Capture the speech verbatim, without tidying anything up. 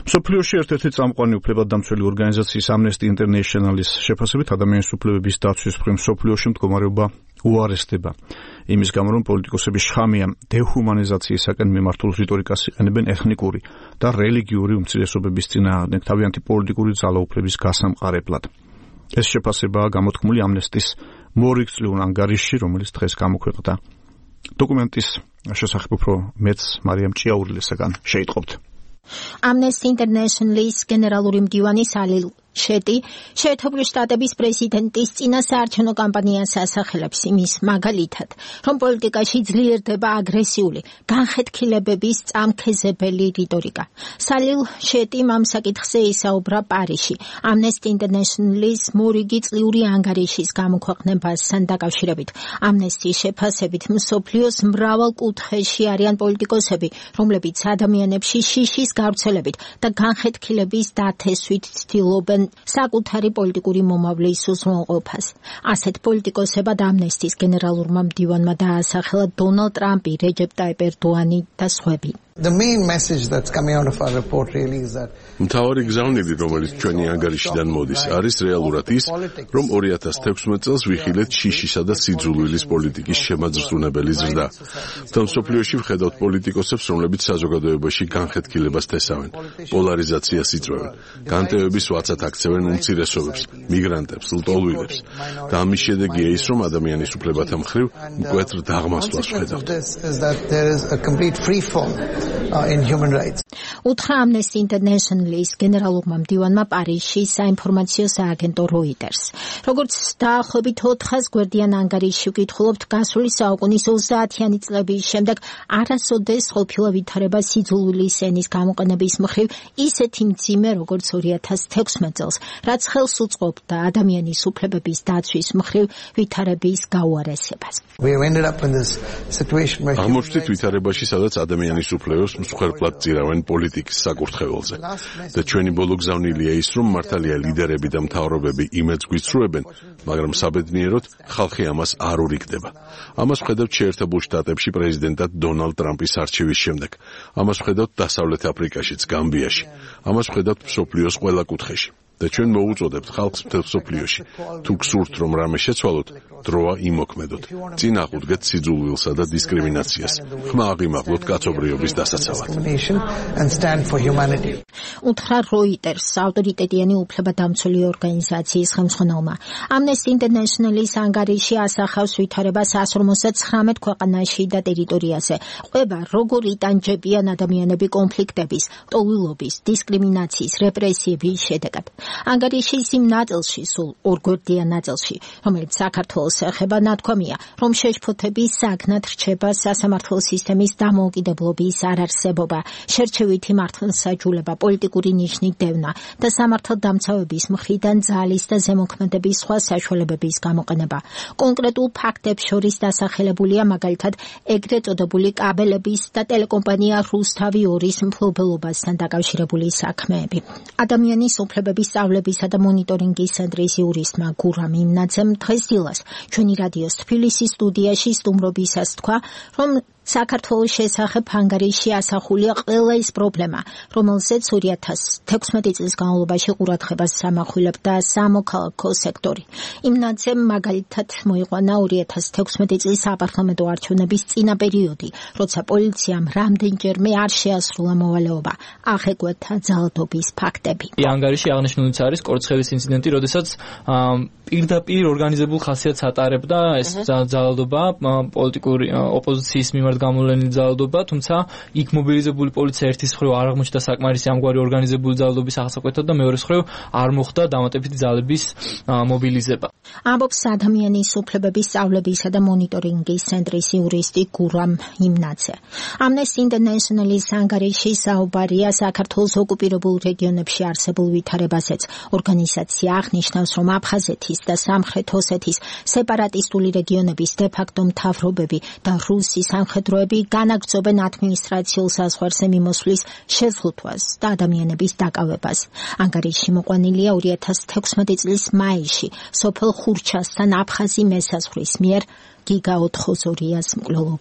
მსოფლიოში ერთ-ერთი წამყვანი უფლებადდამცველი ორგანიზაციის Amnesty International-ის შეფასებით ადამიანის უფლებების დაცვის მხრივ მსოფლიოში მდგომარეობა უარესდება. იმის გამო, რომ პოლიტიკოსები შხამიან დეჰუმანიზაციისაკენ მიმართულ რიტორიკას იყენებენ ეთნიკური და რელიგიური უმცირესობების წინააღმდეგ თავიანთი პოლიტიკური ძალაუფლების გასამყარებლად. ეს შეფასებაა გამოთქმული Amnesty-ის მორიგწლიურ ანგარიშში, რომელიც დღეს გამოქვეყნდა. დოკუმენტის შესახებ უფრო მეც მარიამ ჭიაურილისაგან შეიტყობთ. Amnesty International-ის გენერალური მდივანი სალილ შეეტი შეერთებული შტატების პრეზიდენტის წინა საარჩევნო კამპანიას ასახელებს იმის მაგალითად, რომ პოლიტიკაში ძლიერდება აგრესიული, განხეთქილებების წამქეზებელი რიტორიკა. სალილ შეეტიმ ამ საკითხზე ისაუბრა პარიზში, Amnesty International-ის მორიგი წლიური ანგარიშის გამოქვეყნებასთან დაკავშირებით. Amnesty-ის შეფასებით მსოფლიოს მრავალ კუთხეში არიან პოლიტიკოსები, რომლებიც ადამიანებში შიშის გავრცელებით და განხეთქილების დათესვით ცდილობენ საკუთარი პოლიტიკური მომავლის უზრუნველყოფას. ასეთ პოლიტიკოსებად Amnesty-ის გენერალურმა მდივანმა დაასახელა დონალდ ტრამპი, რეჯეპ ტაიპ ერდოანი და სხვები. The main message that's coming out of our report really is that მთავარი გზავნილი, რომელიც ჩვენი ანგარიშიდან მოდის, არის რეალურად ის, რომ ორი ათას თექვსმეტ წელს ვიხილეთ შიშისა და სიძულვილის პოლიტიკის შემაძრწუნებელი ზრდა. და მსოფლიოში ვხედავთ პოლიტიკოსებს, რომლებიც საზოგადოებაში განხეთქილებას თესავენ, პოლარიზაციას იწვევენ, განტევების ვაცად აქცევენ უმცირესობებს, მიგრანტებს, ლტოლვილებს. და ამის შედეგია ის, რომ ადამიანის უფლებათა მხრივ მკვეთრ დაღმასვლას ვხედავთ. Uh, in human rights. უთხრა Amnesty International-ის გენერალურმა მდივანმა პარიზში საინფორმაციო სააგენტო Reuters. როგორც დაახლოებით ოთხას გვერდიან ანგარიშში ვკითხულობთ, გასული საუკუნის ოცდაათიანი წლების შემდეგ არასოდეს ყოფილა ვითარება სიძულვილის ენის გამოყენების მხრივ ისეთი მძიმე, როგორც ორი ათას თექვსმეტ წელს, რაც ხელს უწყობდა ადამიანის უფლებების დაცვის მხრივ ვითარების გაუარესებას. აღმოჩნდით ვითარებაში, სადაც ადამიანის უფლებებს მსხვერპლად წირავენ პოლიტიკის საკურთხეველზე. და ჩვენი ბოლო გზავნილია ის, რომ მართალია ლიდერები და მთავრობები იმედს გვიცრუებენ, მაგრამ საბედნიეროდ ხალხი ამას არ ურიგდება. ამას ვხედავთ შეერთებულ შტატებში პრეზიდენტად დონალდ ტრამპის არჩევის შემდეგ. ამას ვხედავთ დასავლეთ აფრიკაშიც, გამბიაში. ამას ვხედავთ მსოფლიოს ყველა კუთხეში. და ჩვენ მოუწოდებთ ხალხს მთელ მსოფლიოში, თუ გსურთ, რომ რამე შეცვალოთ, დროა იმოქმედოთ. წინ აყუდგეთ სიძულვილსა და დისკრიმინაციას. ხმა აღიმაღლოთ კაცობრიობის დასაცავად. უთხრა Reuters ავტორიტეტიანი უფლებადამცველი ორგანიზაციის ხელმძღვანელმა. Amnesty International-ის ანგარიში ასახავს ვითარებას εκατს ორმოცდაცხრამეტ ქვეყანაში და ტერიტორიაზე. ყვება როგორ იტანჯებიან ადამიანები კონფლიქტების, ტოლვილობის, დისკრიმინაციის, რეპრესიების შედეგად. ანგარიშის იმ ნაწილში, სულ ორგვერდიან ნაწილში, რომელიც საქართველოს ეხება, ნათქვამია, რომ შეშფოთების საგნად რჩება სასამართლო სისტემის დამოუკიდებლობის არარსებობა, შერჩევითი მართლმსაჯულება, პოლიტიკური ნიშნის დევნა და სამართალდამცავების მხრიდან ძალის და ზემოქმედების სხვა საშუალებების გამოყენება. კონკრეტულ ფაქტებს შორის დასახელებულია მაგალითად ეგრეთ წოდებული კაბელების და ტელეკომპანია რუსთავი ორის მფლობელობასთან დაკავშირებული საქმეები. ადამიანის უფლებების სწავლებისა და მონიტორინგის ცენტრის იურისტმა გურამ იმნაძემ დღეს დილას ჩვენი რადიოს თბილისის სტუდიაში სტუმრობისას თქვა, რომ საქართველოს შესახებ ანგარიში ასახულია ყველა ის პრობლემა, რომელზეც ორი ათას თექვსმეტი წლის განმავლობაში ყურადღებას ამახვილებდა სამოქალაქო სექტორი. იმნაძემ მაგალითად მოიყვანა ორი ათას თექვსმეტი წლის საპარლამენტო არჩევნების წინა პერიოდი, როცა პოლიციამ რამდენჯერმე არ შეასრულა მოვალეობა, აღეკვეთა ძალადობის ფაქტები. ანგარიში აღნიშნულიც არის კორცხევის ინციდენტი, როდესაც პირდაპირ ორგანიზებულ ხასიათს ატარებდა ეს ძალადობა, პოლიტიკური ოპოზიციის მიმართ გამოვლენილი ძალადობა, თუმცა იქ მობილიზებული პოლიცია ერთის მხრივ არ აღმოჩნდა საკმარისი ამგვარი ორგანიზებული ძალადობის აღსაკვეთად და მეორეს მხრივ არ მოხდა დამატებითი ძალების მობილიზება. ამბობს ადამიანის უფლებების სწავლებისა და მონიტორინგის ცენტრის იურისტი გურამ იმნაძე. Amnesty International-ის ანგარიში საუბარია საქართველოს ოკუპირებულ რეგიონებში არსებულ ვითარებაზეც. ორგანიზაცია აღნიშნავს, რომ აფხაზეთის და სამხრეთ ოსეთის სეპარატისტული რეგიონების დე-ფაქტო მთავრობები და რუსი სამხედროები განაგრძობენ ადმინისტრაციულ საზღვარზე მიმოსვლის შეზღუდვას და ადამიანების დაკავებას. ანგარიში მოყვანილია ორი ათას თექვსმეტი წლის მაისში სოფელ ხურჩასთან აფხაზი მესაზღვრის მიერ გიგა ოთხ ოცდაორიას მკვლელობით.